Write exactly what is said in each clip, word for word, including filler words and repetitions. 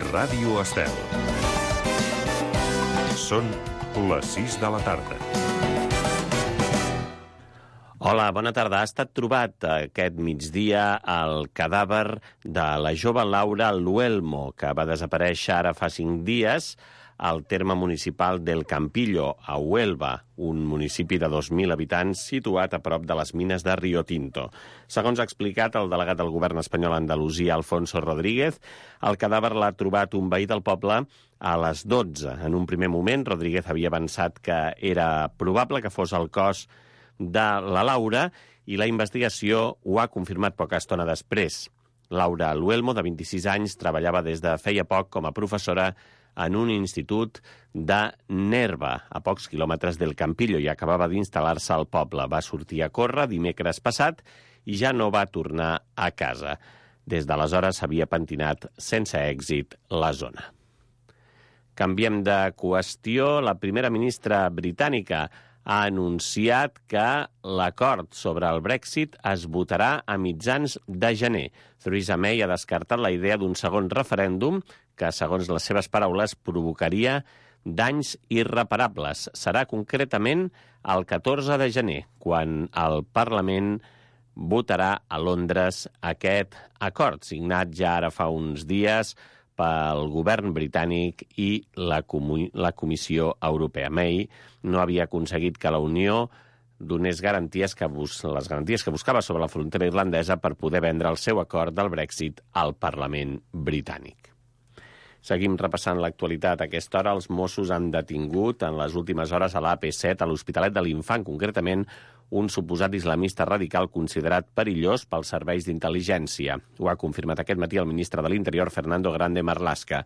Ràdio Estel. Són les sis de la tarda. Hola, bona tarda. Ha estat trobat aquest migdia el cadàver de la jove Laura Luelmo, que va desaparèixer ara fa cinc dies al terme municipal del Campillo, a Huelva, un municipi de dos mil habitants situat a prop de les mines de Rio Tinto. Segons ha explicat el delegat del govern espanyol a Andalusia, Alfonso Rodríguez, el cadàver l'ha trobat un veí del poble a les dotze. En un primer moment, Rodríguez havia avançat que era probable que fos el cos de la Laura i la investigació ho ha confirmat poca estona després. Laura Luelmo, de vint-i-sis anys, treballava des de feia poc com a professora en un institut de Nerva, a pocs quilòmetres del Campillo, i acabava d'instal·lar-se al poble. Va sortir a córrer dimecres passat i ja no va tornar a casa. Des d'aleshores s'havia pentinat sense èxit la zona. Canviem de qüestió. La primera ministra britànica ha anunciat que l'acord sobre el Brexit es votarà a mitjans de gener. Theresa May ha descartat la idea d'un segon referèndum que, segons les seves paraules, provocaria danys irreparables. Serà concretament el catorze de gener, quan el Parlament votarà a Londres aquest acord, signat ja ara fa uns dies pel govern britànic i la, comu- la Comissió Europea. May no havia aconseguit que la Unió donés garanties que bus- les garanties que buscava sobre la frontera irlandesa per poder vendre el seu acord del Brexit al Parlament britànic. Seguim repassant l'actualitat. A aquesta hora els Mossos han detingut en les últimes hores a l'A P set, a l'Hospitalet de l'Infant, concretament un suposat islamista radical considerat perillós pels serveis d'intel·ligència. Ho ha confirmat aquest matí el ministre de l'Interior, Fernando Grande Marlaska.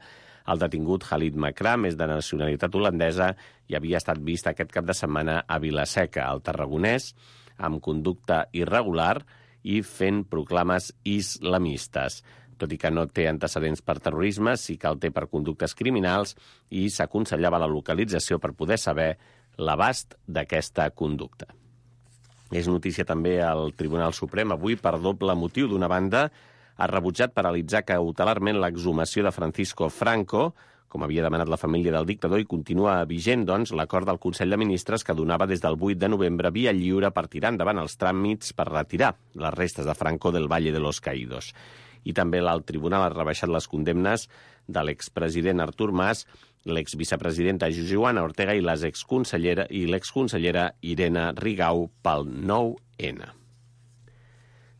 El detingut Khalid Makram és de nacionalitat holandesa i havia estat vist aquest cap de setmana a Vila-seca, al Tarragonès, amb conducta irregular i fent proclames islamistes. Tot i que no té antecedents per terrorisme, sí que el té per conductes criminals i s'aconsellava la localització per poder saber l'abast d'aquesta conducta. És notícia també al Tribunal Suprem avui per doble motiu. D'una banda, ha rebutjat paralitzar cautelarment l'exhumació de Francisco Franco, com havia demanat la família del dictador, i continua vigent, doncs, l'acord del Consell de Ministres que donava des del vuit de novembre via lliure per tirar endavant els tràmits per retirar les restes de Franco del Valle de los Caídos. I també l'alt tribunal ha rebaixat les condemnes de l'expresident Artur Mas, l'exvicepresidenta Joana Ortega i l'exconsellera i l'exconsellera Irene Rigau pel nou ene.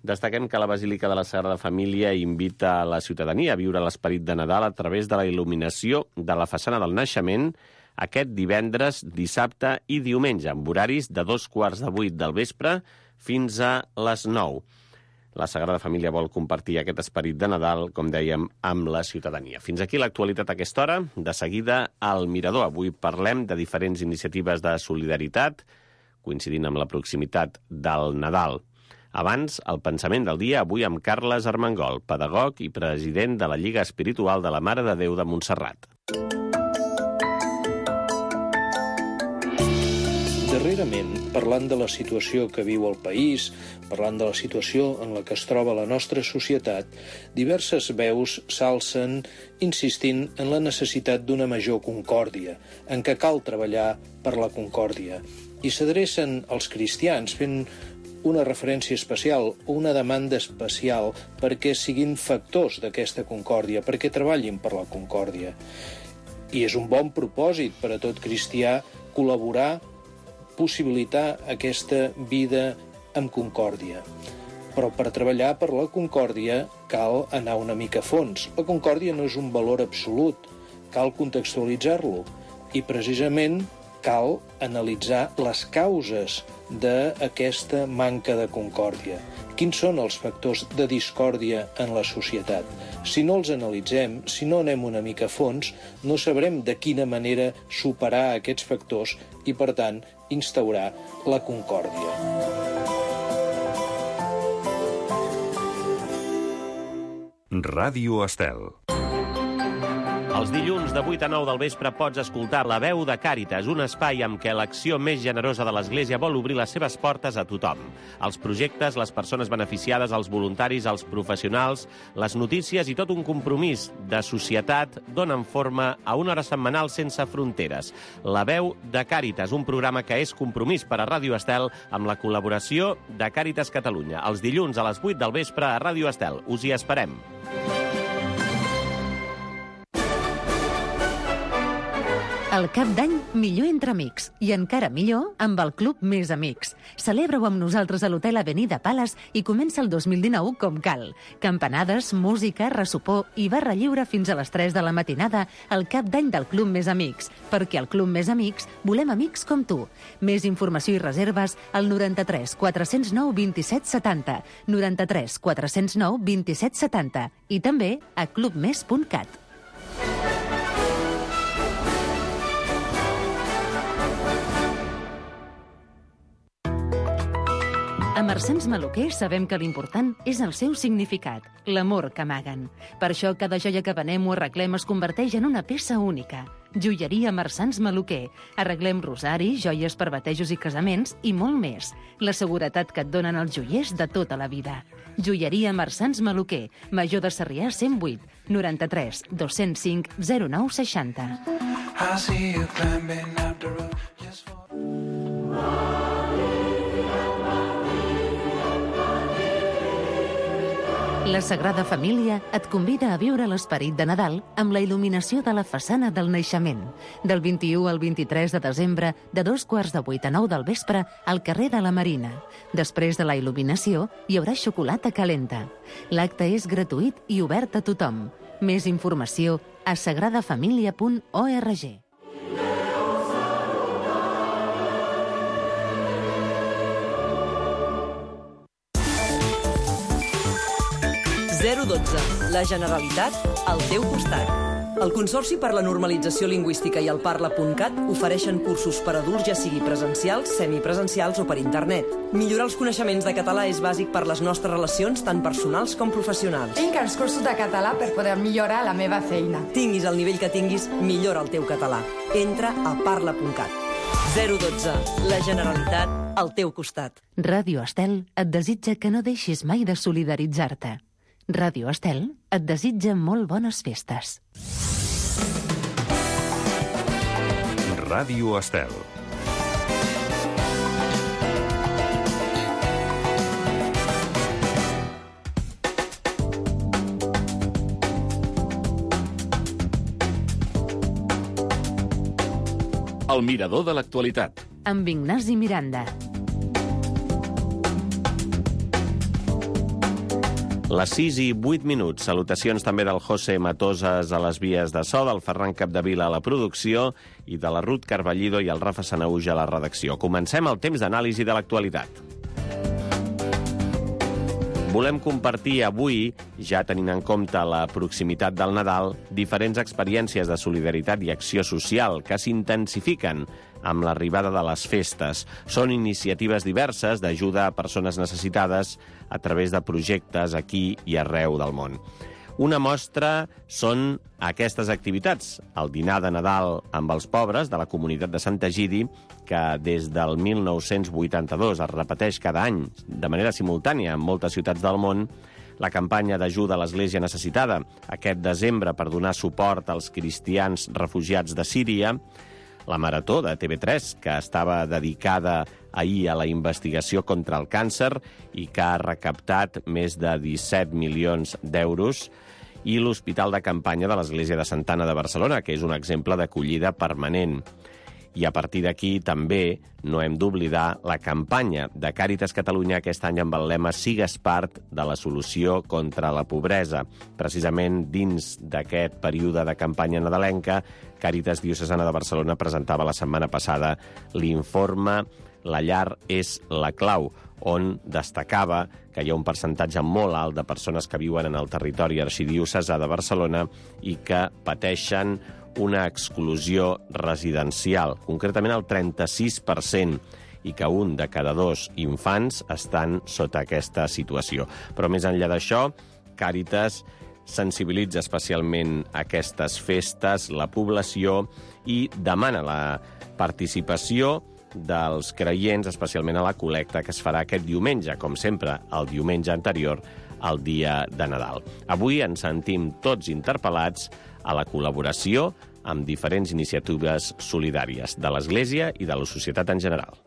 Destaquem que la Basílica de la Sagrada Família invita a la ciutadania a viure l'esperit de Nadal a través de la il·luminació de la façana del naixement aquest divendres, dissabte i diumenge, amb horaris de dos quarts de vuit del vespre fins a les nou. La Sagrada Família vol compartir aquest esperit de Nadal, com dèiem, amb la ciutadania. Fins aquí l'actualitat a aquesta hora. De seguida, al Mirador. Avui parlem de diferents iniciatives de solidaritat, coincidint amb la proximitat del Nadal. Abans, el pensament del dia, avui amb Carles Armengol, pedagog i president de la Lliga Espiritual de la Mare de Déu de Montserrat. Darrerament, parlant de la situació que viu el país, parlant de la situació en la que es troba la nostra societat, diverses veus s'alcen insistint en la necessitat d'una major concòrdia, en què cal treballar per la concòrdia. I s'adrecen als cristians fent una referència especial o una demanda especial perquè siguin factors d'aquesta concòrdia, perquè treballin per la concòrdia. I és un bon propòsit per a tot cristià col·laborar, possibilitar aquesta vida amb concòrdia. Però per treballar per la concòrdia cal anar una mica a fons. La concòrdia no és un valor absolut, cal contextualitzar-lo i precisament cal analitzar les causes d'aquesta manca de concòrdia. Quins són els factors de discòrdia en la societat? Si no els analitzem, si no anem una mica a fons, no sabrem de quina manera superar aquests factors i, per tant, instaurar la concòrdia. Ràdio Estel. Els dilluns de vuit a nou del vespre pots escoltar La veu de Càritas, un espai amb què l'acció més generosa de l'Església vol obrir les seves portes a tothom. Els projectes, les persones beneficiades, els voluntaris, els professionals, les notícies i tot un compromís de societat donen forma a una hora setmanal sense fronteres. La veu de Càritas, un programa que és compromís per a Ràdio Estel amb la col·laboració de Càritas Catalunya. Els dilluns a les vuit del vespre a Ràdio Estel. Us hi esperem. El cap d'any, millor entre amics. I encara millor amb el Club Més Amics. Celebra-ho amb nosaltres a l'Hotel Avenida Palace i comença el dos mil dinou com cal. Campanades, música, ressopor i barra lliure fins a les tres de la matinada al cap d'any del Club Més Amics. Perquè al Club Més Amics volem amics com tu. Més informació i reserves al noranta-tres quatre-cents nou vint-i-set setanta, noranta-tres quatre-cents nou vint-i-set setanta i també a club més punt cat. A Marsans Maluquer sabem que l'important és el seu significat, l'amor que amaguen. Per això cada joia que venem o arreglem es converteix en una peça única. Joieria Marsans Maluquer. Arreglem rosari, joies per batejos i casaments i molt més. La seguretat que et donen els joiers de tota la vida. Joieria Marsans Maluquer. Major de Sarrià cent vuit, noranta-tres dos-cents cinc zero nou seixanta. I see you climbing up the road just for... La Sagrada Família et convida a viure l'esperit de Nadal amb la il·luminació de la façana del naixement. Del vint-i-u al vint-i-tres de desembre, de dos quarts de vuit a nou del vespre, al carrer de la Marina. Després de la il·luminació, hi haurà xocolata calenta. L'acte és gratuït i obert a tothom. Més informació a sagrada família punt org. zero dotze. La Generalitat al teu costat. El Consorci per la Normalització Lingüística i el Parla punt cat ofereixen cursos per adults, ja sigui presencials, semipresencials o per internet. Millorar els coneixements de català és bàsic per les nostres relacions, tant personals com professionals. Tinc els cursos de català per poder millorar la meva feina. Tinguis el nivell que tinguis, millora el teu català. Entra a parla punt cat. zero dotze. La Generalitat al teu costat. Ràdio Estel et desitja que no deixis mai de solidaritzar-te. Ràdio Estel et desitja molt bones festes. Ràdio Estel. El mirador de l'actualitat. Amb Ignasi Miranda. Les sis i vuit minuts. Salutacions també del José Matoses a les vies de so, del Ferran Capdevila a la producció i de la Ruth Carballido i el Rafa Sanaúja a la redacció. Comencem el temps d'anàlisi de l'actualitat. Volem compartir avui, ja tenint en compte la proximitat del Nadal, diferents experiències de solidaritat i acció social que s'intensifiquen amb l'arribada de les festes. Són iniciatives diverses d'ajuda a persones necessitades a través de projectes aquí i arreu del món. Una mostra són aquestes activitats. El dinar de Nadal amb els pobres de la comunitat de Sant Egidi, que des del mil nou-cents vuitanta-dos es repeteix cada any de manera simultània en moltes ciutats del món, la campanya d'ajuda a l'Església necessitada aquest desembre per donar suport als cristians refugiats de Síria, la Marató de T V tres, que estava dedicada ahir a la investigació contra el càncer i que ha recaptat més de disset milions d'euros, i l'Hospital de Campanya de l'Església de Santa Anna de Barcelona, que és un exemple d'acollida permanent. I a partir d'aquí també no hem d'oblidar la campanya de Càritas Catalunya aquest any amb el lema «Sigues part de la solució contra la pobresa». Precisament dins d'aquest període de campanya nadalenca, Càritas Diocesana de Barcelona presentava la setmana passada l'informe «La llar és la clau», on destacava que hi ha un percentatge molt alt de persones que viuen en el territori arxidiocesà de Barcelona i que pateixen una exclusió residencial, concretament el trenta-sis per cent, i que un de cada dos infants estan sota aquesta situació. Però més enllà d'això, Càritas sensibilitza especialment aquestes festes, la població, i demana la participació dels creients, especialment a la col·lecta que es farà aquest diumenge, com sempre, el diumenge anterior al dia de Nadal. Avui ens sentim tots interpel·lats a la col·laboració amb diferents iniciatives solidàries de l'Església i de la societat en general.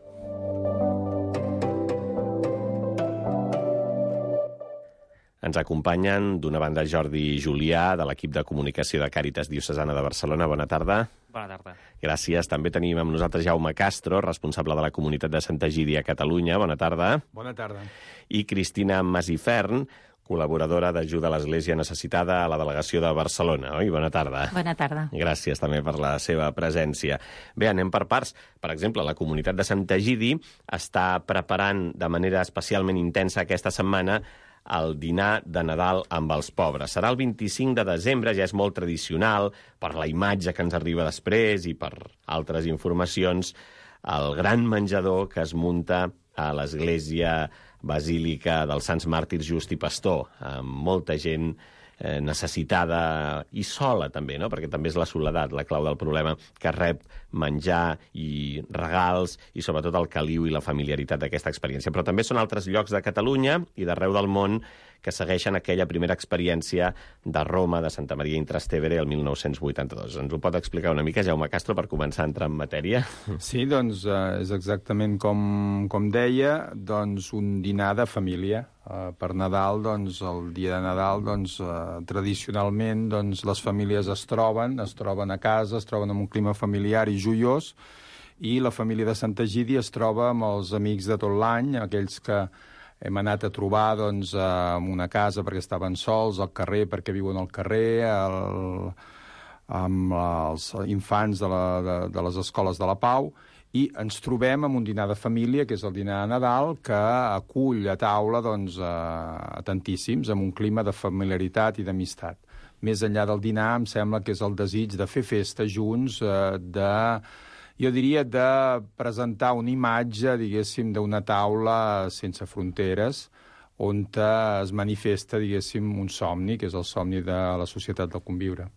Ens acompanyen, d'una banda, Jordi Julià, de l'equip de comunicació de Càritas Diocesana de Barcelona. Bona tarda. Bona tarda. Gràcies. També tenim amb nosaltres Jaume Castro, responsable de la comunitat de Santa Egídia a Catalunya. Bona tarda. Bona tarda. I Cristina Masifern, col·laboradora d'ajuda a l'Església necessitada a la delegació de Barcelona. Oi? Bona tarda. Bona tarda. Gràcies també per la seva presència. Bé, anem per parts. Per exemple, la comunitat de Santa Egidi està preparant de manera especialment intensa aquesta setmana el dinar de Nadal amb els pobres. Serà el vint-i-cinc de desembre, ja és molt tradicional, per la imatge que ens arriba després i per altres informacions, el gran menjador que es munta a l'església basílica dels Sants Màrtirs Just i Pastor, amb molta gent eh, necessitada i sola també, no? Perquè també és la soledat la clau del problema, que rep menjar i regals i sobretot el caliu i la familiaritat d'aquesta experiència. Però també són altres llocs de Catalunya i d'arreu del món que segueixen aquella primera experiència de Roma, de Santa Maria in Trastevere, el mil nou-cents vuitanta-dos. Ens ho pot explicar una mica, Jaume Castro, per començar a entrar en matèria? Sí, doncs eh, és exactament com, com deia, doncs un dinar de família. Eh, per Nadal, doncs, el dia de Nadal, doncs, eh, tradicionalment, doncs, les famílies es troben, es troben a casa, es troben en un clima familiar i joiós, i la família de Santa Egídia es troba amb els amics de tot l'any, aquells que hem anat a trobar doncs, en una casa perquè estaven sols, al carrer perquè viuen al carrer, el, amb els infants de, la, de, de les escoles de la Pau, i ens trobem amb un dinar de família, que és el dinar de Nadal, que acull a taula doncs, a tantíssims, amb un clima de familiaritat i d'amistat. Més enllà del dinar, em sembla que és el desig de fer festa junts, de... jo diria de presentar una imatge, diguéssim, d'una taula sense fronteres, on es manifesta, diguéssim, un somni, que és el somni de la societat del conviure.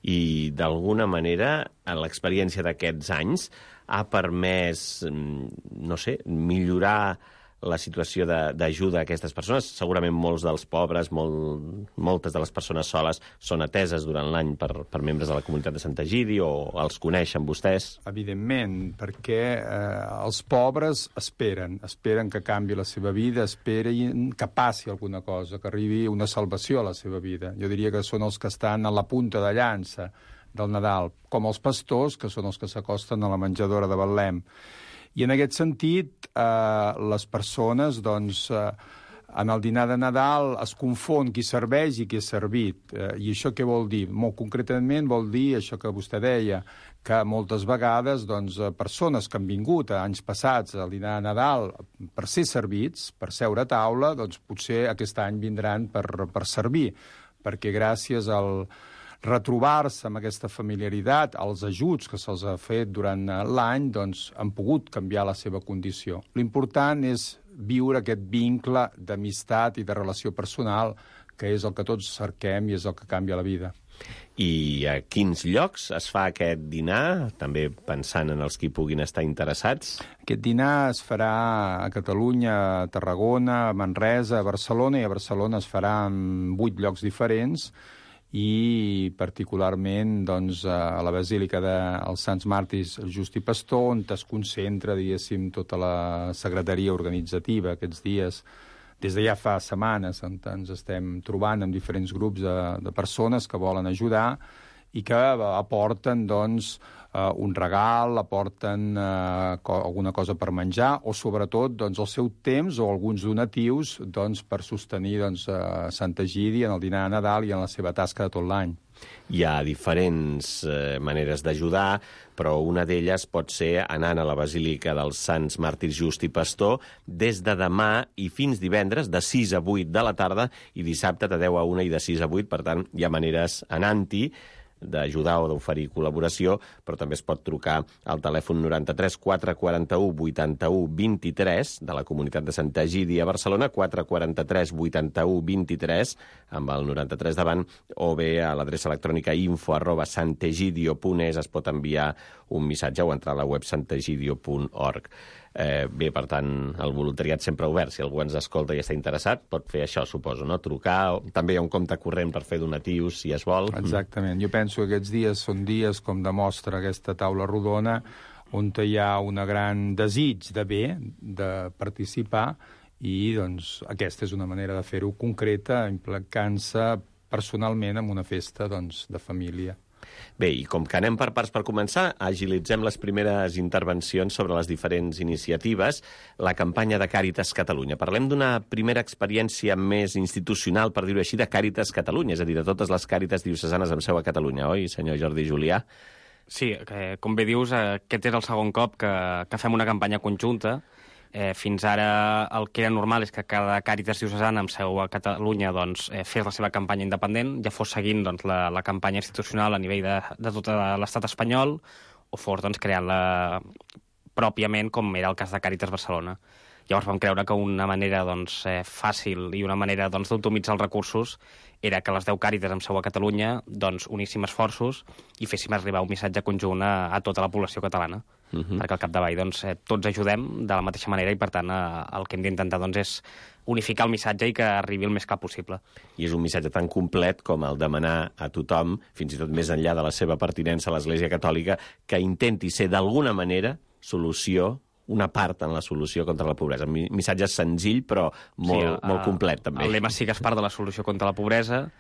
I, d'alguna manera, l'experiència d'aquests anys ha permès, no sé, millorar la situació d'ajuda a aquestes persones. Segurament molts dels pobres, molt, moltes de les persones soles són ateses durant l'any per, per membres de la comunitat de Santa Egidi o els coneixen vostès? Evidentment, perquè eh, els pobres esperen, esperen que canvi la seva vida, esperen que passi alguna cosa, que arribi una salvació a la seva vida. Jo diria que són els que estan a la punta de llança del Nadal, com els pastors, que són els que s'acosten a la menjadora de Betlem. I en aquest sentit, eh, les persones, doncs, eh, en el dinar de Nadal es confon qui serveix i qui és servit. Eh, I això què vol dir? Molt concretament vol dir això que vostè deia, que moltes vegades doncs, persones que han vingut a anys passats al dinar de Nadal per ser servits, per seure a taula, doncs potser aquest any vindran per, per servir, perquè gràcies al retrobar-se amb aquesta familiaritat, els ajuts que se'ls ha fet durant l'any, doncs han pogut canviar la seva condició. L'important és viure aquest vincle d'amistat i de relació personal, que és el que tots cerquem i és el que canvia la vida. I a quins llocs es fa aquest dinar, també pensant en els que hi puguin estar interessats? Aquest dinar es farà a Catalunya, a Tarragona, a Manresa, a Barcelona, i a Barcelona es farà en vuit llocs diferents, i particularment doncs, a la Basílica dels Sants Màrtirs Just i Pastor, on es concentra, diguéssim, tota la secretaria organitzativa aquests dies, des de ja fa setmanes, on ens estem trobant amb diferents grups de, de persones que volen ajudar i que aporten doncs, uh, un regal, aporten uh, co alguna cosa per menjar o, sobretot, doncs, el seu temps o alguns donatius doncs, per sostenir doncs, uh, Santa Egídia en el dinar de Nadal i en la seva tasca de tot l'any. Hi ha diferents eh, maneres d'ajudar, però una d'elles pot ser anant a la Basílica dels Sants Màrtirs Just i Pastor des de demà i fins divendres, de sis a vuit de la tarda, i dissabte de deu a una i de sis a vuit, per tant, hi ha maneres anant-hi, d'ajudar o d'oferir col·laboració, però també es pot trucar al telèfon noranta-tres quatre quaranta-u vuitanta-u vint-i-tres de la Comunitat de Santa Egidi a Barcelona, quatre quaranta-tres vuitanta-u vint-i-tres, amb el noranta-tres davant, o bé a l'adreça electrònica info arroba santegidio punt es es pot enviar un missatge o entrar a la web santegidio punt org. Eh, bé, per tant, el voluntariat sempre obert. Si algú ens escolta i està interessat, pot fer això, suposo, no? Trucar. També hi ha un compte corrent per fer donatius, si es vol. Exactament. Jo penso que aquests dies són dies, com demostra aquesta taula rodona, on hi ha un gran desig de bé, de participar, i doncs, aquesta és una manera de fer-ho concreta, implicant-se personalment en una festa doncs, de família. Bé, i com que anem per parts per començar, agilitzem les primeres intervencions sobre les diferents iniciatives, la campanya de Càritas Catalunya. Parlem d'una primera experiència més institucional, per dir-ho així, de Càritas Catalunya, és a dir, de totes les Càritas diocesanes amb seu a Catalunya, oi, senyor Jordi Julià? Sí, que, com bé dius, aquest és el segon cop que, que fem una campanya conjunta. Eh, fins ara el que era normal és que cada Càritas diocesana amb seu a Catalunya doncs, eh, fes la seva campanya independent, ja fos seguint doncs, la, la campanya institucional a nivell de, de tot l'estat espanyol, o fos doncs, creant-la pròpiament, com era el cas de Càritas Barcelona. Llavors vam creure que una manera doncs, eh, fàcil i una manera doncs, d'optimitzar els recursos era que les deu Càritas amb seu a Catalunya doncs, uníssim esforços i féssim arribar un missatge conjunt a, a tota la població catalana. Uh -huh. Perquè al capdavall doncs, eh, tots ajudem de la mateixa manera i, per tant, eh, el que hem d'intentar doncs, és unificar el missatge i que arribi el més clar possible. I és un missatge tan complet com el demanar a tothom, fins i tot més enllà de la seva pertinença a l'Església Catòlica, que intenti ser d'alguna manera solució, una part en la solució contra la pobresa. Un missatge senzill, però molt, sí, a, molt complet, també. El lema sí que és part de la solució contra la pobresa.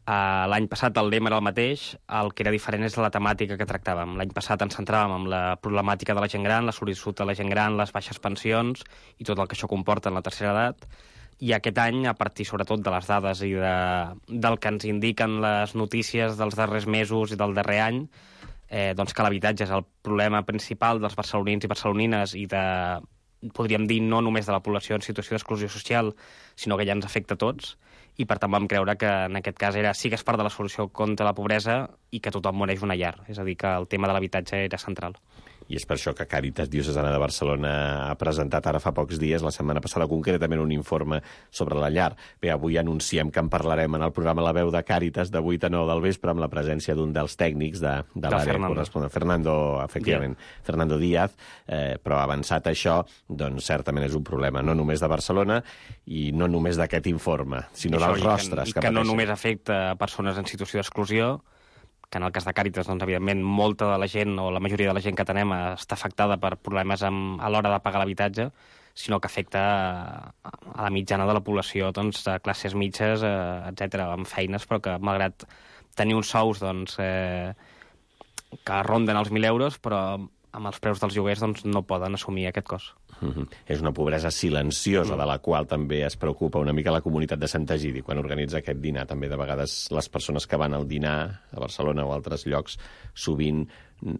Uh, L'any passat el lema era el mateix, el que era diferent és la temàtica que tractàvem. L'any passat ens centràvem en la problemàtica de la gent gran, la sol·licitud de la gent gran, les baixes pensions i tot el que això comporta en la tercera edat. I aquest any, a partir sobretot de les dades i de, del que ens indiquen les notícies dels darrers mesos i del darrer any, eh, doncs que l'habitatge és el problema principal dels barcelonins i barcelonines i de, podríem dir, no només de la població en situació d'exclusió social, sinó que ja ens afecta a tots. I per tant vam creure que en aquest cas era sí que és part de la solució contra la pobresa i que tothom mereix una llar. És a dir, que el tema de l'habitatge era central. I és per això que Càritas Diocesana de Barcelona ha presentat ara fa pocs dies, la setmana passada concretament, un informe sobre la llar. Bé, avui anunciem que en parlarem en el programa La Veu de Càritas de vuit a nou del vespre amb la presència d'un dels tècnics de, de l'àrea corresponent, Fernando, efectivament, yeah. Fernando Díaz, eh, però avançat això, doncs certament és un problema no només de Barcelona i no només d'aquest informe, sinó dels rostres que, que, que no només afecta persones en situació d'exclusió, que en el cas de Càritas, doncs, evidentment, molta de la gent o la majoria de la gent que tenem està afectada per problemes amb, a l'hora de pagar l'habitatge, sinó que afecta a, a la mitjana de la població, doncs, de classes mitges, eh, etcètera, amb feines, però que malgrat tenir uns sous doncs, eh, que ronden els mil euros, però amb els preus dels lloguers doncs, no poden assumir aquest cost. Mm-hmm. És una pobresa silenciosa, mm. de la qual també es preocupa una mica la comunitat de Sant Egidi quan organitza aquest dinar. També de vegades les persones que van al dinar a Barcelona o a altres llocs sovint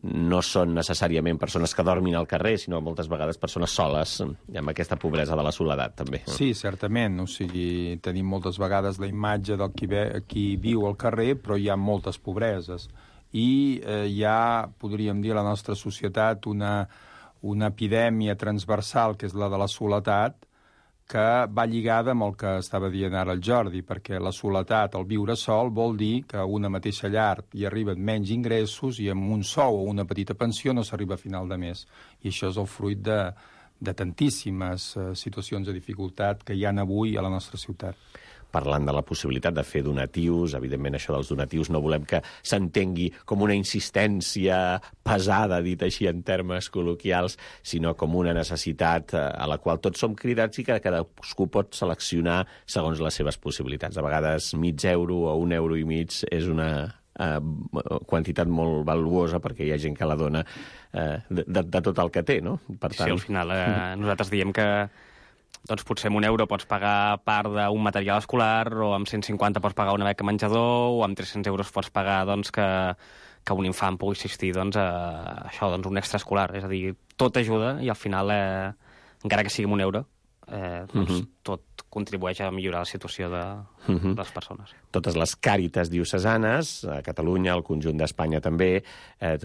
no són necessàriament persones que dormin al carrer, sinó moltes vegades persones soles, amb aquesta pobresa de la soledat, també. Sí, certament. O sigui, tenim moltes vegades la imatge del qui, ve, qui viu al carrer, però hi ha moltes pobreses. I eh, hi ha, podríem dir, a la nostra societat una, una epidèmia transversal, que és la de la soledat, que va lligada amb el que estava dient ara el Jordi, perquè la soledat, el viure sol, vol dir que a una mateixa llar hi arriben menys ingressos i amb un sou o una petita pensió no s'arriba a final de mes. I això és el fruit de, de tantíssimes eh, situacions de dificultat que hi ha avui a la nostra ciutat. Parlant de la possibilitat de fer donatius, evidentment això dels donatius no volem que s'entengui com una insistència pesada, dit així en termes col·loquials, sinó com una necessitat a la qual tots som cridats i que cadascú pot seleccionar segons les seves possibilitats. A vegades mig euro o un euro i mig és una eh, quantitat molt valuosa perquè hi ha gent que la dona eh, de, de, de tot el que té, no? Per tant... Sí, al final eh, nosaltres diem que doncs potser amb un euro pots pagar part d'un material escolar, o amb cent cinquanta pots pagar una beca menjador, o amb tres-cents euros pots pagar doncs, que, que un infant pugui assistir doncs, a això, doncs, un extraescolar. És a dir, tot ajuda i al final, eh, encara que sigui amb un euro, eh, doncs Uh-huh. tot contribueix a millorar la situació de, Uh-huh. de les persones. Totes les càritas diocesanes, a Catalunya, al conjunt d'Espanya també, eh,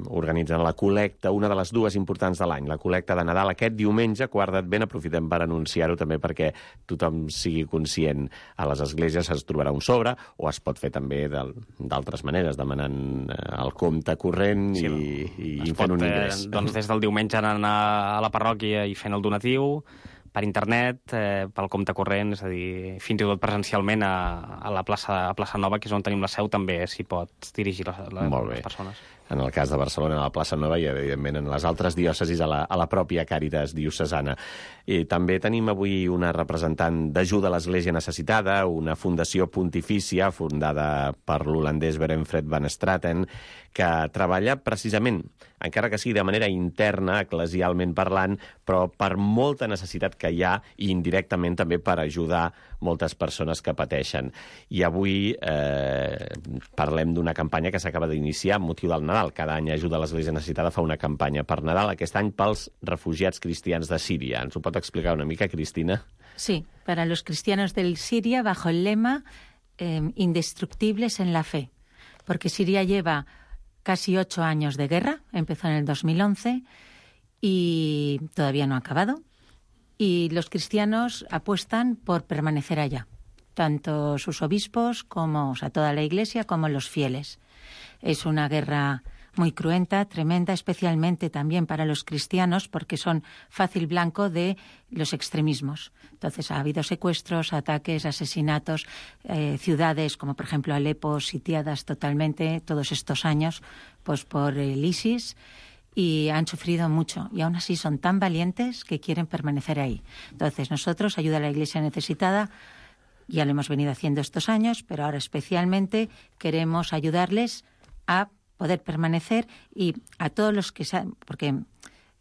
organitzen la col·lecta, una de les dues importants de l'any, la col·lecta de Nadal aquest diumenge, quart d'Advent. Aprofitem per anunciar-ho també perquè tothom sigui conscient. A les esglésies es trobarà un sobre, o es pot fer també d'altres maneres, demanant eh, el compte corrent sí, i, i fent un ingrés. Eh, doncs des del diumenge anar a la parròquia i fent el donatiu, per internet, eh, pel compte corrent, és a dir, fins i tot presencialment a, a la plaça, a plaça Nova, que és on tenim la seu, també s'hi pot dirigir la, la, les persones. En el cas de Barcelona, a la plaça Nova, i evidentment en les altres diòcesis, a la, a la pròpia Càritas diocesana. I també tenim avui una representant d'ajuda a l'Església Necessitada, una fundació pontifícia fundada per l'holandès Berenfred van Straten, que treballa precisament, encara que sigui de manera interna, eclesialment parlant, però per molta necessitat que hi ha i indirectament també per ajudar moltes persones que pateixen. I avui eh, parlem d'una campanya que s'acaba d'iniciar amb motiu del Nadal. Cada any Ajuda a l'Església Necessitada fa una campanya per Nadal, aquest any pels refugiats cristians de Síria. Ens ho pot explicar una mica, Cristina? Sí, para los cristianos del Siria, bajo el lema eh, indestructibles en la fe, porque Siria lleva casi ocho años de guerra, empezó en el dos mil once y todavía no ha acabado. Y los cristianos apuestan por permanecer allá, tanto sus obispos como, o sea, toda la Iglesia, como los fieles. Es una guerra muy cruenta, tremenda, especialmente también para los cristianos, porque son fácil blanco de los extremismos. Entonces ha habido secuestros, ataques, asesinatos, eh, ciudades como por ejemplo Alepo sitiadas totalmente todos estos años pues por el ISIS, y han sufrido mucho, y aún así son tan valientes que quieren permanecer ahí. Entonces nosotros, Ayuda a la Iglesia Necesitada, ya lo hemos venido haciendo estos años, pero ahora especialmente queremos ayudarles a poder permanecer, y a todos los que se han, porque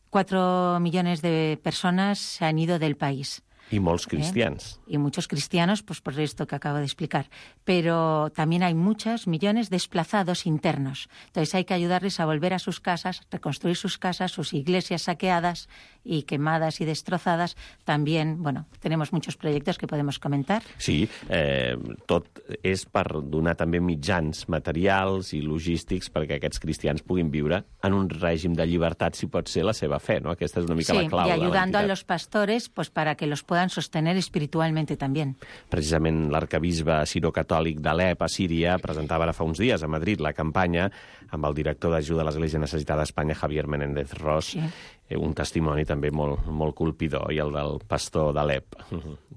cuatro millones de personas se han ido del país. Y molts cristians. ¿Eh? Y muchos cristianos, pues por esto que acabo de explicar. Pero también hay muchos millones desplazados internos. Entonces hay que ayudarles a volver a sus casas, reconstruir sus casas, sus iglesias saqueadas y quemadas y destrozadas. También, bueno, tenemos muchos proyectos que podemos comentar. Sí, eh, tot és per donar també mitjans materials i logístics perquè aquests cristians puguin viure en un règim de llibertat, si pot ser la seva fe, no? Aquesta és una mica sí, la clau y ayudando de a los pastores pues para que los puedan sostener espiritualmente también. Precisament l'arcabisbe sirocatòlic d'Alep, a Síria, presentava ara fa uns dies a Madrid la campanya amb el director d'Ajuda a l'Església Necessitada d'Espanya, Javier Menéndez Ros, sí. Un testimoni també molt, molt colpidor, i el del pastor d'Alep,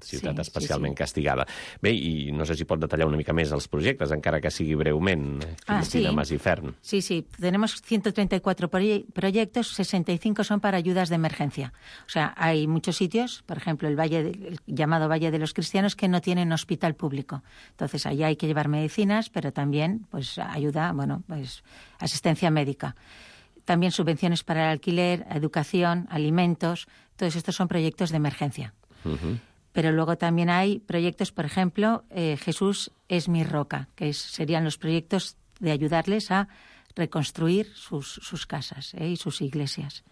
ciutat sí, especialment sí, sí. castigada. Bé, i no sé si pot detallar una mica més els projectes, encara que sigui breument, Cristina ah, sí. Masifern. Sí, sí, tenemos ciento treinta y cuatro proye proyectos, sesenta y cinco son para ayudas de emergencia. O sea, hay muchos sitios, por ejemplo, el, Valle de, el llamado Valle de los Cristianos, que no tienen hospital público. Entonces, allá hay que llevar medicinas, pero también pues ayuda, bueno, pues asistencia médica. También subvenciones para el alquiler, educación, alimentos. Todos estos son proyectos de emergencia. Uh-huh. Pero luego también hay proyectos, por ejemplo, eh, Jesús es mi roca, que es, serían los proyectos de ayudarles a reconstruir sus, sus casas eh, y sus iglesias.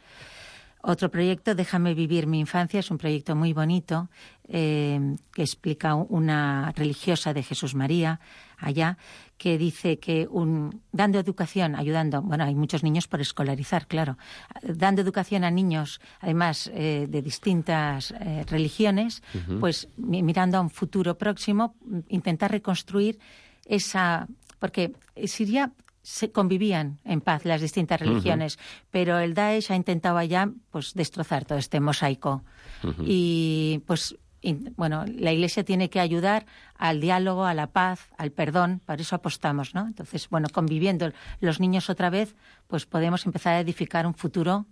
Otro proyecto, Déjame vivir mi infancia, es un proyecto muy bonito eh, que explica una religiosa de Jesús María allá, que dice que un, dando educación, ayudando, bueno, hay muchos niños por escolarizar, claro, dando educación a niños, además eh, de distintas eh, religiones, uh-huh. pues mirando a un futuro próximo, intentar reconstruir esa, porque Siria se convivían en paz las distintas religiones, uh-huh. pero el Daesh ha intentado allá pues destrozar todo este mosaico. Uh-huh. Y pues in, bueno, la Iglesia tiene que ayudar al diálogo, a la paz, al perdón, por eso apostamos, ¿no? Entonces, bueno, conviviendo los niños otra vez, pues podemos empezar a edificar un futuro,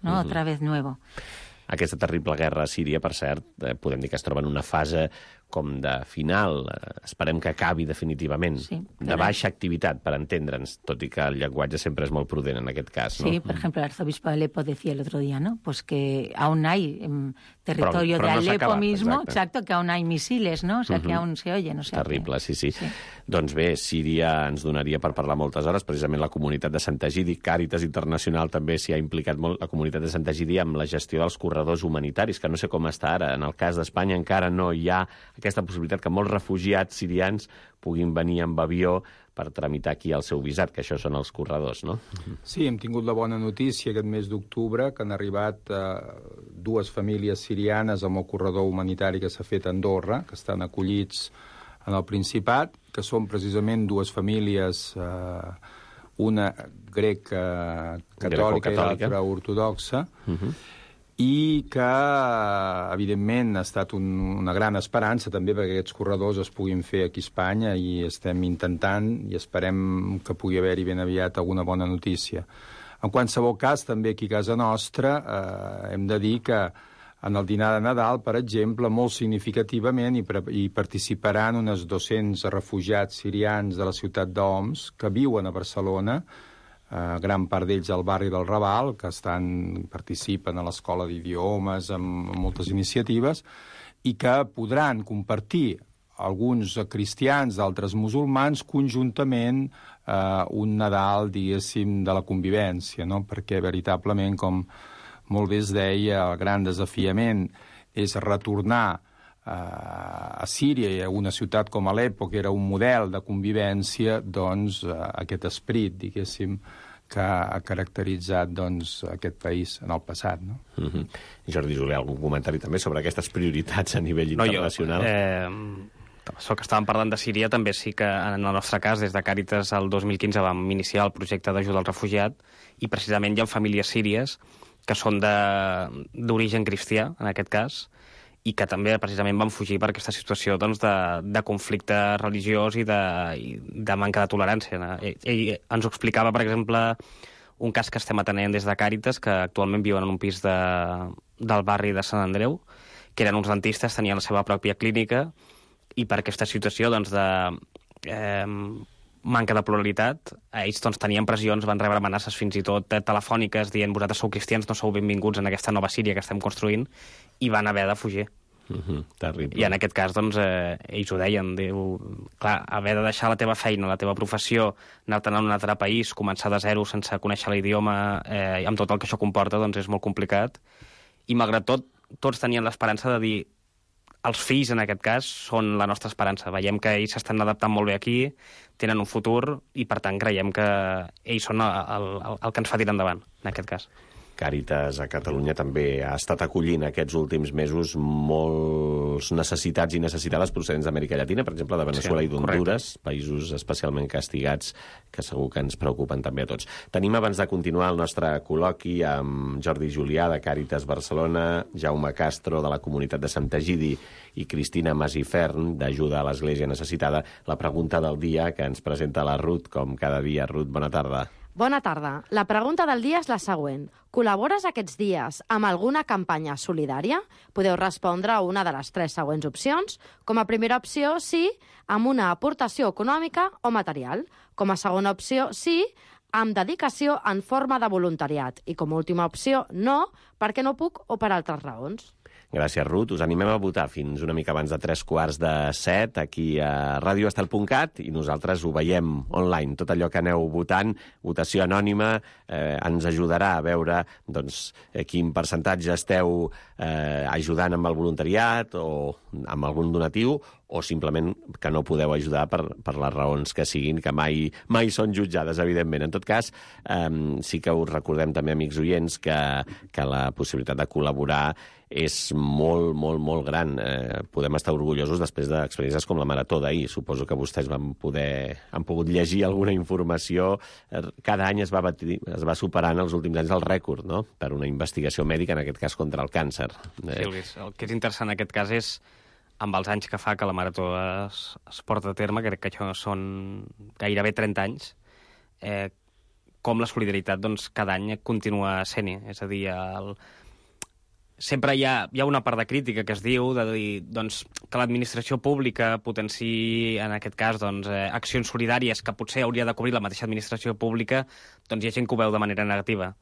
¿no? Uh-huh. Otra vez nuevo. Aquesta terrible guerra a Síria, per cert, eh, podem dir que es troba en una fase com de final, esperem que acabi definitivament, sí, de baixa activitat, per entendre'ns, tot i que el llenguatge sempre és molt prudent en aquest cas, ¿no? Sí, por ejemplo, el arzobispo de Alepo decía el otro día, ¿no? Pues que aún hay en territorio però, però de Alepo no mismo, exacte. exacto, que aún hay misiles, ¿no? O sea, uh-huh. que aún se oyen, o sea Terrible, que... sí, sí, sí. Doncs bé, Síria ens donaria per parlar moltes hores, precisament la comunitat de Sant Egidi, Càritas Internacional també s'hi ha implicat molt, la comunitat de Sant Egidi, amb la gestió dels corredors humanitaris, que no sé com està ara. En el cas d'Espanya encara no hi ha aquesta possibilitat que molts refugiats sirians puguin venir amb avió per tramitar aquí el seu visat, que això són els corredors, no? Sí, hem tingut la bona notícia aquest mes d'octubre que han arribat eh, dues famílies sirianes amb el corredor humanitari que s'ha fet a Andorra, que estan acollits en el Principat, que són precisament dues famílies, eh, una greca catòlica i l'altra ortodoxa, uh-huh. i que, evidentment, ha estat un, una gran esperança també perquè aquests corredors es puguin fer aquí a Espanya i estem intentant i esperem que pugui haver-hi ben aviat alguna bona notícia. En qualsevol cas, també aquí a casa nostra eh, hem de dir que en el dinar de Nadal, per exemple, molt significativament hi, hi participaran unes dos-cents refugiats sirians de la ciutat d'Oms que viuen a Barcelona, Uh, gran part d'ells al barri del Raval, que estan, participen a l'escola d'idiomes, amb, amb moltes iniciatives, i que podran compartir alguns cristians, d'altres musulmans, conjuntament uh, un Nadal, diguéssim, de la convivència, no? Perquè, veritablement, com molt bé es deia, el gran desafiament és retornar a Síria i a una ciutat com Alepo, que era un model de convivència, doncs aquest esperit, diguéssim, que ha caracteritzat doncs, aquest país en el passat. No? Mm-hmm. Jordi Julià, algun comentari també sobre aquestes prioritats a nivell internacional? No, jo, eh, això que estàvem parlant de Síria, també sí que en el nostre cas, des de Càritas el dos mil quinze vam iniciar el projecte d'ajuda al refugiat i precisament hi ha famílies síries que són d'origen cristià, en aquest cas, i que també precisament van fugir per aquesta situació doncs, de, de conflicte religiós i de, i de manca de tolerància. Ell, ell ens ho explicava, per exemple, un cas que estem atenent des de Càritas, que actualment viuen en un pis de, del barri de Sant Andreu, que eren uns dentistes, tenien la seva pròpia clínica, i per aquesta situació doncs, de eh, manca de pluralitat, ells doncs, tenien pressions, van rebre amenaces fins i tot telefòniques dient vosaltres sou cristians, no sou benvinguts en aquesta nova Síria que estem construint, i van haver de fugir. Uh-huh, terrible. I en aquest cas, doncs, eh, ells ho deien, diu, clar, haver de deixar la teva feina, la teva professió, anar-te'n a un altre país, començar de zero sense conèixer l'idioma, eh, amb tot el que això comporta, doncs és molt complicat. I malgrat tot, tots tenien l'esperança de dir els fills, en aquest cas, són la nostra esperança. Veiem que ells s'estan adaptant molt bé aquí, tenen un futur, i per tant creiem que ells són el, el, el que ens fa tirar endavant, en aquest cas. Càritas a Catalunya també ha estat acollint aquests últims mesos molts necessitats i necessitades procedents d'Amèrica Llatina, per exemple, de Venezuela sí, i d'Honduras, països especialment castigats que segur que ens preocupen també a tots. Tenim, abans de continuar el nostre col·loqui, amb Jordi Julià, de Càritas Barcelona, Jaume Castro, de la comunitat de Sant Egidi, i Cristina Masifern, d'Ajuda a l'Església Necessitada, la pregunta del dia que ens presenta la Ruth, com cada dia. Ruth, bona tarda. Bona tarda. La pregunta del dia és la següent. Col·labores aquests dies amb alguna campanya solidària? Podeu respondre a una de les tres següents opcions. Com a primera opció, sí, amb una aportació econòmica o material. Com a segona opció, sí, amb dedicació en forma de voluntariat. I com a última opció, no, perquè no puc o per altres raons. Gràcies, Ruth. Us animem a votar fins una mica abans de tres quarts de set aquí a radio estel punt cat i nosaltres ho veiem online. Tot allò que aneu votant, votació anònima, eh, ens ajudarà a veure doncs, quin percentatge esteu eh, ajudant amb el voluntariat o amb algun donatiu, o simplement que no podeu ajudar per, per les raons que siguin, que mai, mai són jutjades, evidentment. En tot cas, eh, sí que us recordem també, amics oients, que, que la possibilitat de col·laborar és molt, molt, molt gran. Eh, podem estar orgullosos després d'experiències com la Marató d'ahir. Suposo que vostès van poder, han pogut llegir alguna informació. Cada any es va, batir, es va superant els últims anys el rècord, no?, per una investigació mèdica, en aquest cas contra el càncer. Sí, Luis, el que és interessant en aquest cas és amb els anys que fa que la Marató es, es porta a terme, crec que això són gairebé trenta anys, eh, com la solidaritat doncs, cada any continua sent-hi. És a dir, el, sempre hi ha, hi ha una part de crítica que es diu de dir doncs, que l'administració pública potenciï, en aquest cas, doncs, eh, accions solidàries que potser hauria de cobrir la mateixa administració pública, doncs hi ha gent que ho veu de manera negativa.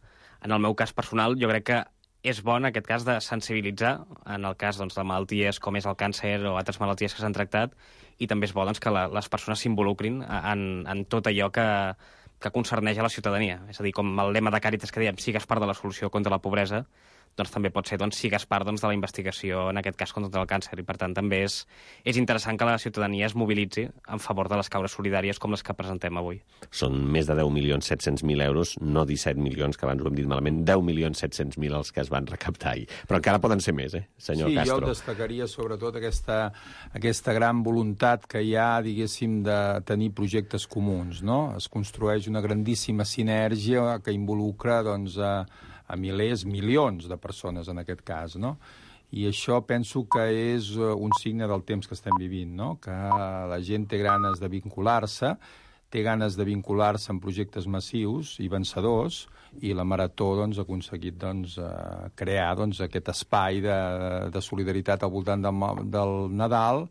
En el meu cas personal, jo crec que és bo, en aquest cas, de sensibilitzar en el cas doncs, de malalties com és el càncer o altres malalties que s'han tractat, i també és bo doncs, que la, les persones s'involucrin en, en tot allò que, que concerneix a la ciutadania. És a dir, com el lema de Càritas que dèiem, sigues part de la solució contra la pobresa, doncs també pot ser, doncs, sigues part doncs, de la investigació, en aquest cas, contra el càncer. I, per tant, també és, és interessant que la ciutadania es mobilitzi en favor de les causes solidàries com les que presentem avui. Són més de deu milions set-cents mil euros, no disset milions, que abans ho hem dit malament, deu milions set-cents mil els que es van recaptar ahir. Però encara poden ser més, eh, senyor sí, Castro? Sí, jo destacaria sobretot aquesta, aquesta gran voluntat que hi ha, diguéssim, de tenir projectes comuns, no? Es construeix una grandíssima sinergia que involucra, doncs, a a milers, milions de persones en aquest cas, no? I això penso que és un signe del temps que estem vivint, no? Que la gent té ganes de vincular-se, té ganes de vincular-se en projectes massius i vencedors, i la Marató doncs, ha aconseguit doncs, crear doncs, aquest espai de, de solidaritat al voltant del, del Nadal,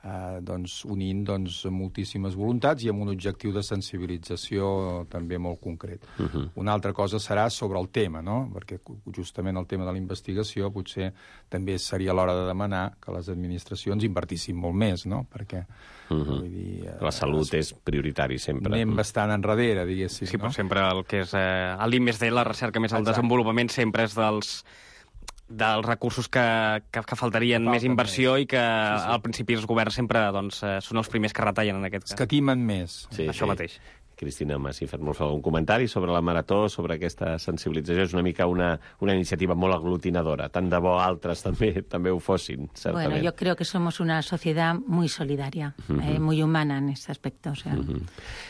Eh, doncs, unint doncs, moltíssimes voluntats i amb un objectiu de sensibilització també molt concret. Uh -huh. Una altra cosa serà sobre el tema, no? Perquè justament el tema de la investigació potser també seria l'hora de demanar que les administracions invertissin molt més, no? Perquè uh -huh. vull dir, eh, la salut és prioritari sempre. Anem bastant enrere, diguéssim. Sí, no? però sempre el que és eh, l'I més D, la recerca més el Exacte. Desenvolupament, sempre és dels dels recursos que, que, que faltarien que més inversió més. I que sí, sí. al principi els governs sempre doncs, són els primers que retallen en aquest cas. Escatimen més. Sí, Això sí. mateix. Cristina Masifert, vol fer algun comentari sobre la Marató, sobre aquesta sensibilització? És una mica una, una iniciativa molt aglutinadora. Tant de bo altres també també ho fossin, certament. Bueno, yo creo que somos una sociedad muy solidaria, uh-huh. eh, muy humana en este aspecto. O sea, uh-huh.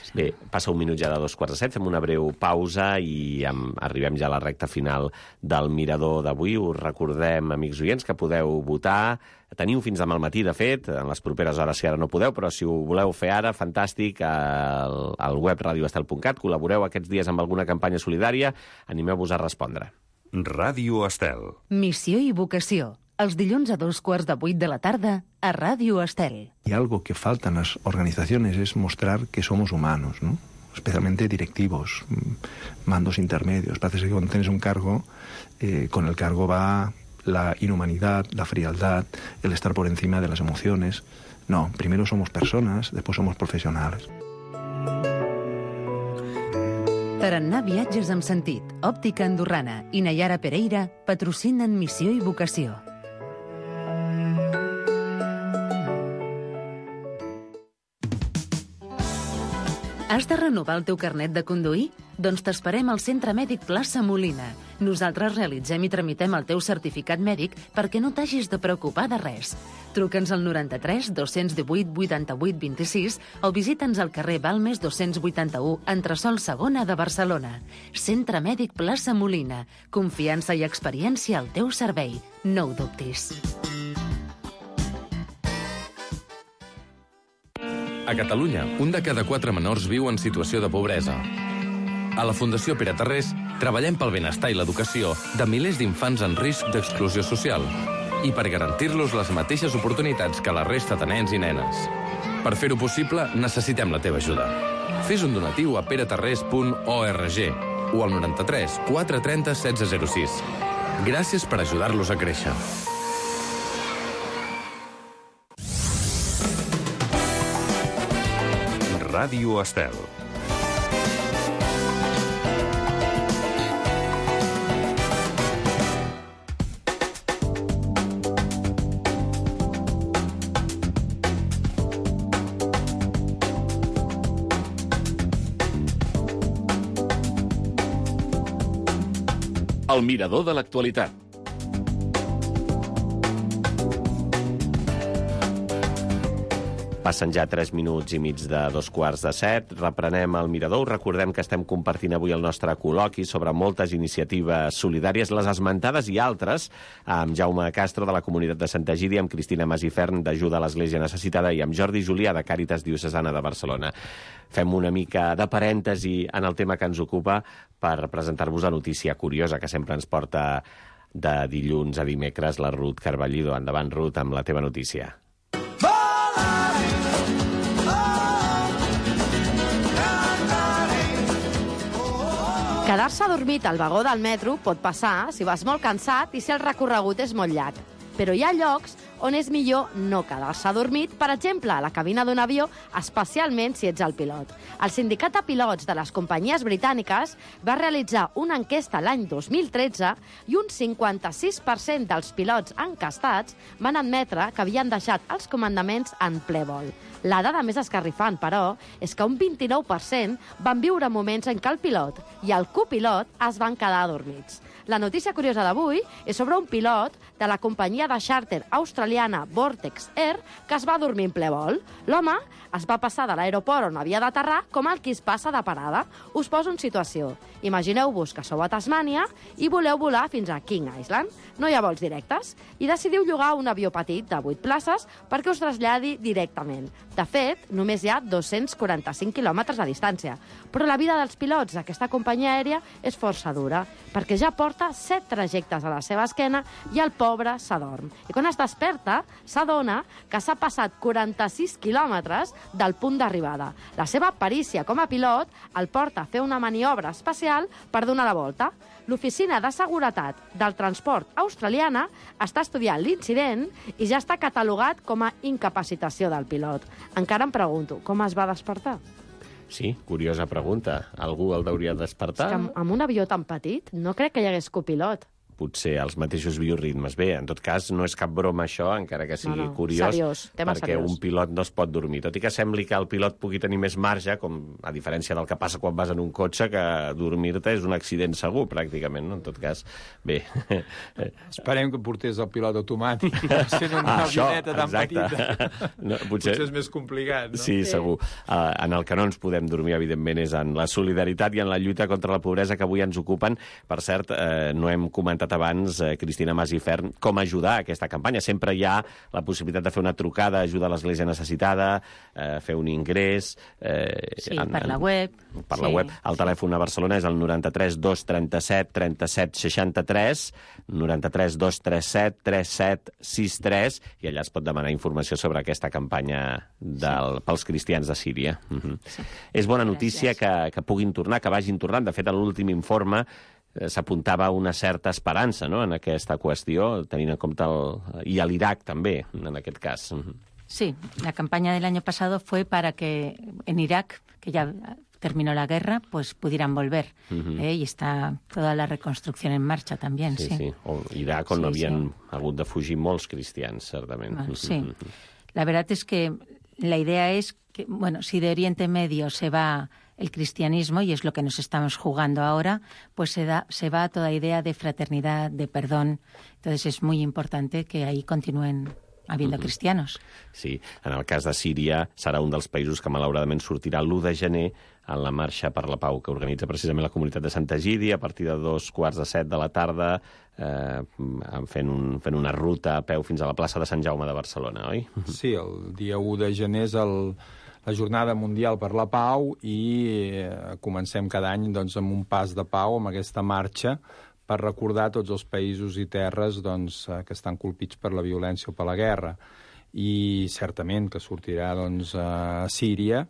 sí. Bé, passa un minut ja de dos quarts de set, fem una breu pausa i amb, arribem ja a la recta final del Mirador d'avui. Us recordem, amics oients, que podeu votar. Teniu fins demà al matí, de fet, en les properes hores, si ara no podeu, però si ho voleu fer ara, fantàstic, al, al web radio estel punt cat, col·laboreu aquests dies amb alguna campanya solidària, animeu-vos a respondre. Ràdio Estel. Missió i vocació. Els dilluns a dos quarts de vuit de la tarda a Ràdio Estel. Y algo que falta en las organizaciones es mostrar que somos humanos, ¿no? Especialmente directivos, mandos intermedios. Parece que cuando tienes un cargo, eh, con el cargo va la inhumanidad, la frialdad, el estar por encima de las emociones. No, primero somos personas, después somos profesionales. Tarannà Viatges amb sentit, Òptica Andorrana i Nayara Pereira patrocinen Missió i Vocació. Has de renovar el teu carnet de conduir? Doncs t'esperem al Centre Mèdic Plaça Molina. Nosaltres realitzem i tramitem el teu certificat mèdic perquè no t'hagis de preocupar de res. Truca'ns al noranta-tres dos-cents divuit vuitanta-vuit vint-i-sis o visita'ns al carrer Balmes dos-cents vuitanta-u, entresòl segona de Barcelona. Centre Mèdic Plaça Molina. Confiança i experiència al teu servei. No ho dubtis. A Catalunya, un de cada quatre menors viu en situació de pobresa. A la Fundació Pere Tarrés treballem pel benestar i l'educació de milers d'infants en risc d'exclusió social i per garantir-los les mateixes oportunitats que la resta de nens i nenes. Per fer-ho possible, necessitem la teva ajuda. Fes un donatiu a peretarrés punt org o al noranta-tres quatre trenta setze zero sis. Gràcies per ajudar-los a créixer. Ràdio Estel. El mirador de l'actualitat. Passen ja tres minuts i mig de dos quarts de set. Reprenem el Mirador. Recordem que estem compartint avui el nostre col·loqui sobre moltes iniciatives solidàries, les esmentades i altres, amb Jaume Castro, de la Comunitat de Santa Egídia, amb Cristina Masifern, d'Ajuda a l'Església Necessitada, i amb Jordi Julià, de Càritas Diocesana de Barcelona. Fem una mica de parèntesi en el tema que ens ocupa per presentar-vos la notícia curiosa que sempre ens porta de dilluns a dimecres, la Ruth Carballido. Endavant, Ruth, amb la teva notícia. Quedar-se adormit al vagó del metro pot passar si vas molt cansat i si el recorregut és molt llarg. Però hi ha llocs on és millor no quedar-se adormit, per exemple, a la cabina d'un avió, especialment si ets el pilot. El sindicat de pilots de les companyies britàniques va realitzar una enquesta l'any dos mil tretze i un cinquanta-sis per cent dels pilots encastats van admetre que havien deixat els comandaments en ple vol. La dada més escarrifant, però, és que un vint-i-nou per cent van viure moments en què el pilot i el copilot es van quedar adormits. La notícia curiosa d'avui és sobre un pilot de la companyia de xàrter australiana Vortex Air que es va dormir en ple vol. L'home es va passar de l'aeroport on havia d'aterrar com el qui es passa de parada. Us poso en situació. Imagineu-vos que sou a Tasmània i voleu volar fins a King Island. No hi ha vols directes i decidiu llogar un avió petit de vuit places perquè us traslladi directament. De fet, només hi ha dos-cents quaranta-cinc quilòmetres de distància, però la vida dels pilots d'aquesta companyia aèria és força dura, perquè ja porta set trajectes a la seva esquena i el pobre s'adorm. I quan es desperta, s'adona que s'ha passat quaranta-sis quilòmetres del punt d'arribada. La seva perícia com a pilot el porta a fer una maniobra especial per donar la volta. L'Oficina de Seguretat del Transport australiana està estudiant l'incident i ja està catalogat com a incapacitació del pilot. Encara em pregunto, com es va despertar? Sí, curiosa pregunta. Algú el deuria despertar? És que amb, amb un avió tan petit no crec que hi hagués copilot. Potser els mateixos bioritmes. Bé, en tot cas, no és cap broma això, encara que sigui no, no. curiós, seriós, tema perquè seriós. Un pilot no es pot dormir. Tot i que sembli que el pilot pugui tenir més marge, com a diferència del que passa quan vas en un cotxe, que dormir-te és un accident segur, pràcticament. No? En tot cas, bé. Esperem que portés el pilot automàtic, sent una ah, avioneta tan exacte. petita. No, potser... potser és més complicat, no? Sí, sí. segur. Uh, en el que no ens podem dormir, evidentment, és en la solidaritat i en la lluita contra la pobresa que avui ens ocupen. Per cert, uh, no hem comentat abans, uh, Cristina Mas i Ferm, com ajudar a aquesta campanya. Sempre hi ha la possibilitat de fer una trucada, ajudar a l'església necessitada, eh, fer un ingrés... Eh, sí, en, per la web. Per sí, la web. El sí. telèfon a Barcelona és el noranta-tres dos trenta-set trenta-set seixanta-tres, noranta-tres dos trenta-set trenta-set seixanta-tres, i allà es pot demanar informació sobre aquesta campanya del, sí. pels cristians de Síria. Uh -huh. sí. És bona notícia que, que puguin tornar, que vagin tornant. De fet, a l'últim informe s'apuntava una certa esperança, no?, en aquesta qüestió, tenint en compte el... i a l'Iraq també, en aquest cas. Sí, la campaña del año pasado fue para que en Irak, que ya terminó la guerra, pues pudieran volver. Uh-huh. ¿eh? Y está toda la reconstrucción en marcha también, sí. Sí, sí. O Irak, on sí, havien sí. hagut de fugir molts cristians, certament. Bueno, sí. La verdad es que la idea es que, bueno, si de Oriente Medio se va el cristianismo, y es lo que nos estamos jugando ahora, pues se, da, se va toda idea de fraternidad, de perdón. Entonces es muy importante que ahí continúen habiendo uh-huh. cristianos. Sí, en el cas de Síria serà un dels països que malauradament sortirà l'u de gener en la Marxa per la Pau, que organitza precisament la comunitat de Sant Egidi a partir de dos quarts de set de la tarda, eh, fent, un, fent una ruta a peu fins a la plaça de Sant Jaume de Barcelona, oi? Sí, el dia u de gener és el... la Jornada Mundial per la Pau i eh, comencem cada any doncs, amb un pas de pau, amb aquesta marxa, per recordar tots els països i terres doncs, que estan colpits per la violència o per la guerra. I certament que sortirà doncs, a Síria,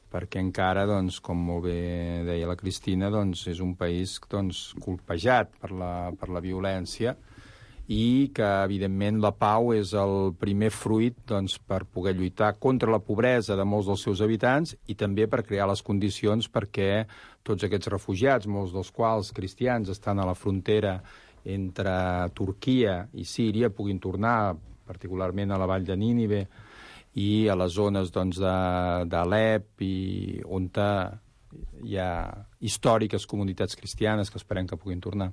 perquè encara, doncs, com molt bé deia la Cristina, doncs, és un país doncs, colpejat per la, per la violència, i que, evidentment, la pau és el primer fruit doncs, per poder lluitar contra la pobresa de molts dels seus habitants i també per crear les condicions perquè tots aquests refugiats, molts dels quals cristians, estan a la frontera entre Turquia i Síria, puguin tornar, particularment a la vall de Nínive i a les zones doncs, d'Alep, i on hi ha històriques comunitats cristianes que esperem que puguin tornar.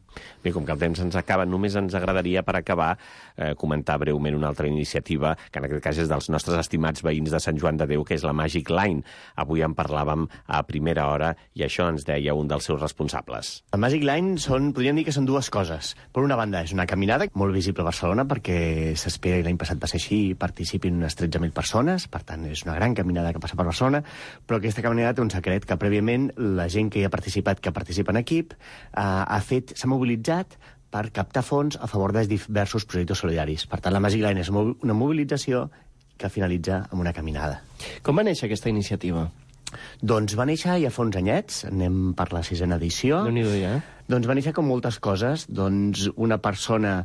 Bé, com que el temps ens acaba, només ens agradaria, per acabar, eh, comentar breument una altra iniciativa, que en aquest cas és dels nostres estimats veïns de Sant Joan de Déu, que és la Magic Line. Avui en parlàvem a primera hora i això ens deia un dels seus responsables. La Magic Line són, podríem dir que són dues coses. Per una banda, és una caminada molt visible a Barcelona perquè s'espera, i l'any passat va ser així, i participin unes tretze mil persones, per tant, és una gran caminada que passa per Barcelona, però aquesta caminada té un secret, que prèviament la gent que hi ha participat, que participa en equip, eh, ha fet, s'ha mobilitzat per captar fons a favor de diversos projectes solidaris. Per tant, la Magic Line és una mobilització que finalitza amb una caminada. Com va néixer aquesta iniciativa? Doncs va néixer ja fa uns anyets, anem per la sisena edició. Déu-n'hi-do, ja. Doncs va néixer com moltes coses. Doncs una persona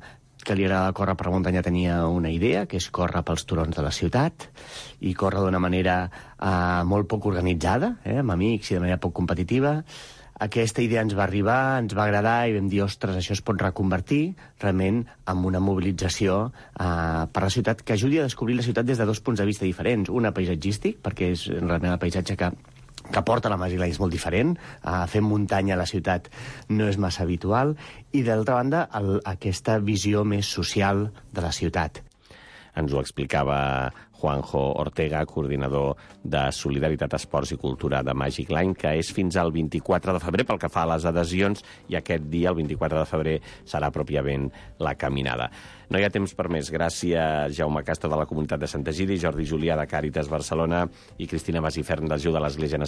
que li agrada córrer per muntanya tenia una idea, que és córrer pels turons de la ciutat, i córrer d'una manera eh, molt poc organitzada, eh, amb amics i de manera poc competitiva. Aquesta idea ens va arribar, ens va agradar i vam dir, ostres, això es pot reconvertir realment en una mobilització eh, per la ciutat que ajudi a descobrir la ciutat des de dos punts de vista diferents. Una, paisatgístic, perquè és realment el paisatge que, que porta la Magic Line és molt diferent. Eh, fer muntanya a la ciutat no és massa habitual. I, d'altra banda, el, aquesta visió més social de la ciutat. Ens ho explicava Juanjo Ortega, coordinador de Solidaritat, Esports i Cultura de Magic Line, que és fins al vint-i-quatre de febrer pel que fa a les adhesions, i aquest dia, el vint-i-quatre de febrer, serà pròpiament la caminada. No hi ha temps per més. Gràcies, Jaume Castro, de la Comunitat de Sant Egidi, Jordi Julià, de Càritas Barcelona, i Cristina Masifern, d'Ajuda a l'Església Necessitada.